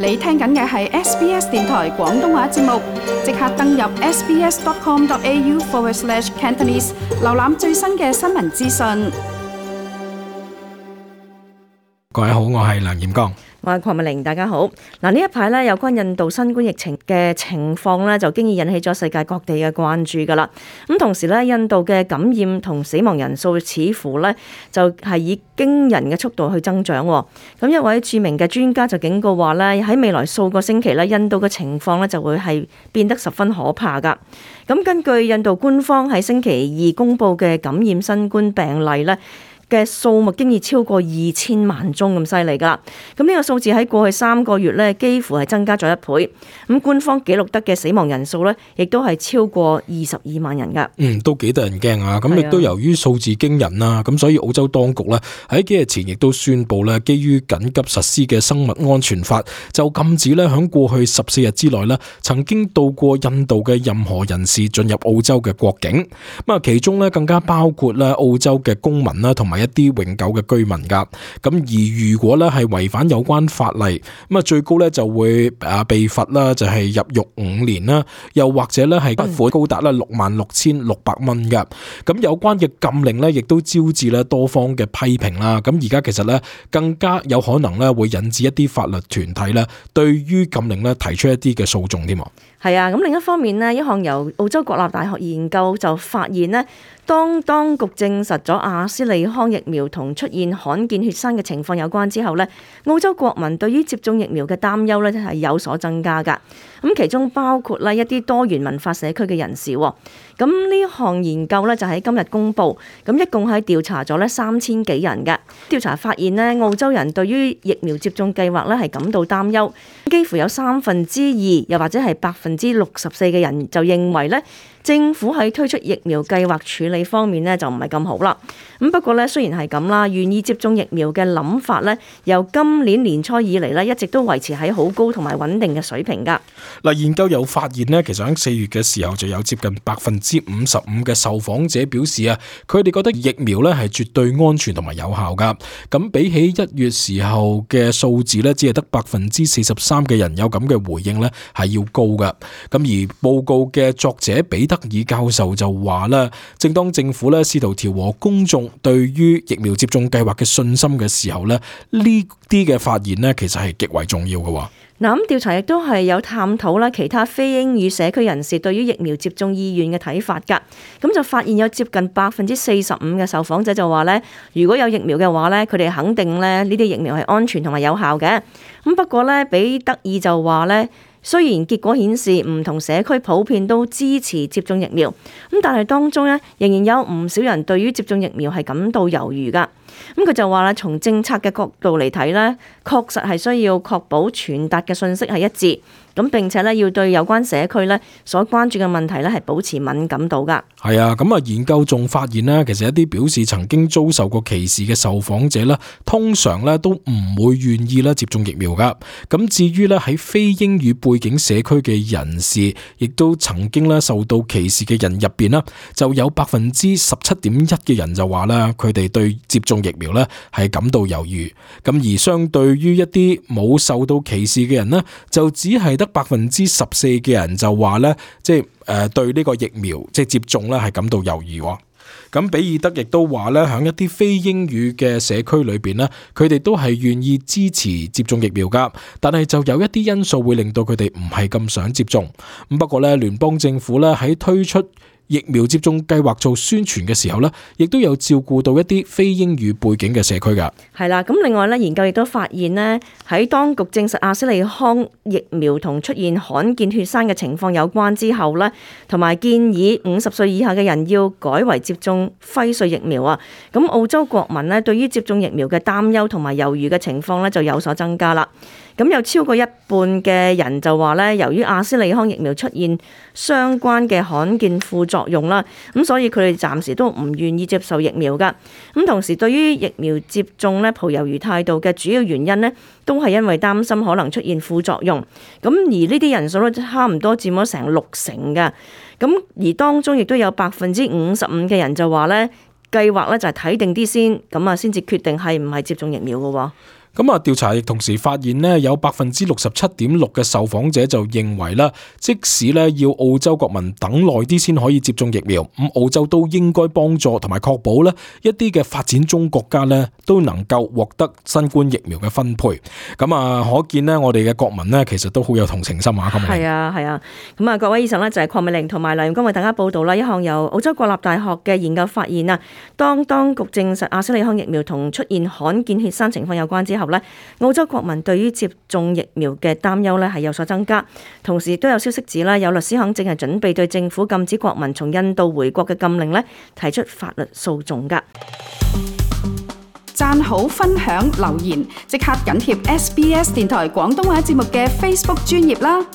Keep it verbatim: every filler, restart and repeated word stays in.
你聽緊嘅係 S B S 電台廣東話節目，即刻登入 sbs.com.au forward slash Cantonese， 瀏覽最新嘅新聞資訊。各位好，我係梁炎剛。我係鄺美玲，大家好。嗱，呢一排咧有關印度新冠疫情嘅情況咧，就經已引起咗世界各地嘅關注噶啦。咁同時咧，印度嘅感染同死亡人數似乎咧就係以驚人嘅速度去增長。咁一位著名嘅專家就警告話咧，喺未來數個星期咧，印度嘅情況咧就會係變得十分可怕噶。咁根據印度官方喺星期二公布嘅感染新冠病例咧嘅數目，經已超過二千萬宗咁犀利噶。咁呢個數字喺過去三個月咧，幾乎係增加咗一倍。咁官方記錄得嘅死亡人數咧，亦都係超過二十二萬人噶。嗯，都幾得人驚啊！咁亦都由於數字驚人啦，咁所以澳洲當局咧喺幾日前亦都宣布咧，基於緊急實施嘅生物安全法，就禁止咧響過去十四日之內咧，曾經到過印度嘅任何人士進入澳洲嘅國境。咁啊，其中咧更加包括咧澳洲嘅公民啦，同埋一啲永久嘅居民噶。咁而如果咧係違反有關法例，咁啊最高咧就會啊被罰啦，就係入獄五年啦，又或者咧係罰款高達咧六萬六千六百蚊噶。咁有關嘅禁令咧，亦都招致咧多方嘅批評啦。咁而家其實咧更加有可能咧會引致一啲法律團體咧對於禁令咧提出一啲嘅訴訟添。係啊，咁另一方面呢，一項由澳洲國立大學研究就發現呢，當當局證實咗阿斯利康疫苗同出現罕見血栓嘅情況有關之後呢，澳洲國民對於接種疫苗嘅擔憂呢係有所增加㗎。咁其中包括呢一啲多元文化社區嘅人士。咁呢項研究呢就喺今日公佈，咁一共係調查咗呢三千幾人嘅。調查發現呢，澳洲人對於疫苗接種計劃呢係感到擔憂，幾乎有三分之二，又或者係百分之六十四嘅人就認為呢，政府喺推出疫苗計劃處理方面呢就唔係咁好啦。咁不過呢，雖然係咁啦，願意接種疫苗嘅諗法呢，由今年年初以嚟呢，一直都維持喺好高同埋穩定嘅水平㗎。嗱，研究有發現呢，其實喺四月嘅時候就有接近百分之五十五嘅受訪者表示啊，佢哋覺得疫苗呢係絕對安全同埋有效㗎。咁比起一月時候嘅數字呢，只係得百分之四十三嘅人有咁嘅回應呢，係要高㗎。咁而報告嘅作者彼得爾教授就話啦，正當政府呢試圖調和公眾對於疫苗接種計劃嘅信心嘅時候呢，呢啲嘅發現呢，其實係極為重要嘅。嗱，咁調查亦都係有探討啦，其他非英語社區人士對於疫苗接種意願嘅睇法㗎。咁就發現有接近百分之四十五嘅受訪者就話咧，如果有疫苗嘅話咧，佢哋肯定咧呢啲疫苗係安全同埋有效嘅。咁不過咧，彼得爾就話咧，雖然結果顯示唔同社區普遍都支持接種疫苗，咁但係當中咧仍然有唔少人對於接種疫苗係感到猶豫㗎。咁佢就話啦，從政策嘅角度嚟睇咧，確實係需要確保傳達嘅信息係一致，咁並且咧要對有關社區咧所關注嘅問題咧係保持敏感度㗎。係啊，咁啊研究仲發現咧，其實一啲表示曾經遭受過歧視嘅受訪者咧，通常咧都唔會願意咧接種疫苗㗎。咁至於咧喺非英語背景社區嘅人士，亦都曾經咧受到歧視嘅人入邊啦，就有百分之十七點一嘅人就話啦，佢哋對接種疫苗咧係感到猶豫。咁而相對於一啲冇受到歧視嘅人呢，就只係得百分之十四嘅人就話咧，即係誒對呢個疫苗即係接種咧係感到猶豫。咁比爾德亦都話咧，喺一啲非英語嘅社區裏邊呢，佢哋都係願意支持接種疫苗噶，但係就有一啲因素會令到佢哋唔係咁想接種。咁不過咧，聯邦政府咧喺推出疫苗接種計劃做宣傳嘅時候呢，亦都有照顧到一啲非英語背景嘅社區噶。係啦，咁另外咧，研究亦都發現呢，喺當局證實阿斯利康疫苗同出現罕見血栓嘅情況有關之後呢，同埋建議五十歲以下嘅人要改為接種輝瑞疫苗啊。咁澳洲國民呢，對於接種疫苗嘅擔憂同埋猶豫嘅情況呢，就有所增加啦。咁有超過一半嘅人就話咧，由於阿斯利康疫苗出現相關嘅罕見副作用啦，咁所以佢哋暫時都唔願意接受疫苗噶。咁同時對於疫苗接種咧抱猶豫態度嘅主要原因呢，都係因為擔心可能出現副作用。咁而呢啲人數咧差唔多佔咗成六成噶。咁而當中亦都有百分之五十五嘅人就話咧，計劃咧就係睇定啲先，咁啊先至決定係唔係接種疫苗噶。咁啊，調查亦同時發現呢，有百分之六十七點六嘅受訪者就認為啦，即使咧要澳洲國民等耐啲先可以接種疫苗，咁澳洲都應該幫助同埋確保咧一啲嘅發展中國家咧都能夠獲得新冠疫苗嘅分配。咁啊，可見呢，我哋嘅國民呢，其實都好有同情心啊。咁係啊，係啊。咁啊，各位以上呢，就係鄺美玲同埋梁榮光為大家報道啦。一項由澳洲國立大學嘅研究發現啊，當當局證實阿斯利康疫苗同出現罕見血栓情況有關之後呢，澳洲國民對於接種疫苗嘅擔憂呢係有所增加。同時都有消息指啦，有律師行正係準備對政府禁止國民從印度回國嘅禁令呢提出法律訴訟㗎。讚好、分享、留言，即刻緊貼 S B S 電台廣東話節目嘅 Facebook 專頁啦！